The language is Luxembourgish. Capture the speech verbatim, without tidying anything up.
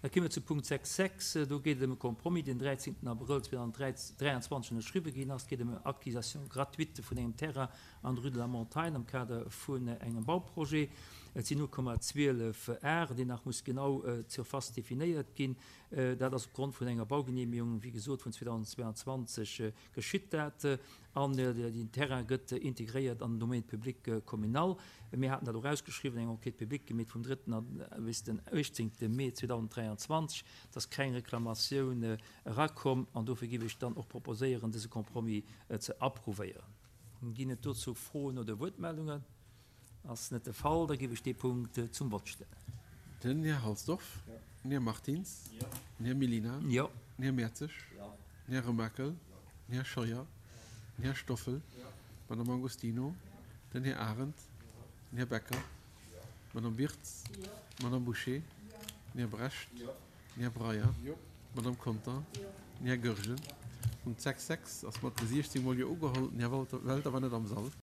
Da komme mer zu Punkt sechs Punkt sechs. Do geet et ëm e Compromis, deen dräizéngten Abrëll zweedausendräianzwanzeg ënnerschriwwe ginn ass. Et geet ëm eng Acquisition gratuite vun engem Terrain an der Rue de la Montagne am Kader vun engem Bauprojet. Et sinn null Komma zwielef Ar, déi nach muss genau d'Surface definéiert ginn. Dat ass opgrond vun enger Baugeneemegung, wéi gesot, vun zweedausendzweianzwanzeg geschitt dat. An den Terrain gëtt integréiert an den Domaine public communal. Mir haten dat och ausgeschriwwen, eng Enquête publique gemeet vum drëtten bis den uechtzéngte Mee zweedausendräianzwanzeg. Et ass keng Reklamatioun erakomm an dofir géif ech dann och proposéieren, dëse Compromis ze approuvéieren. Ginn et dozou Froen oder Wuertmeldungen? Ass net de Fall, da géif ech dee Punkt zum Vott stellen. Den Här Halsdorf. Jo. Den Här Martins. Jo. Den Här Mellina. Jo. Den Här Mertzig. Jo. Den Här Remakel. Den Här Scheuer. Den Här Stoffel. D'Madame Agostino. Den Här Arendt. Den Här Becker. D'Madame Wirtz. D'Madame Bouché. Den Här Brecht. Den Här Breyer. D'Madame Conter. Den Här Goergen. Punkt sechs sechs ass mat siechzéng Mol Jo ugeholl. Den Här Welter war net am Sall.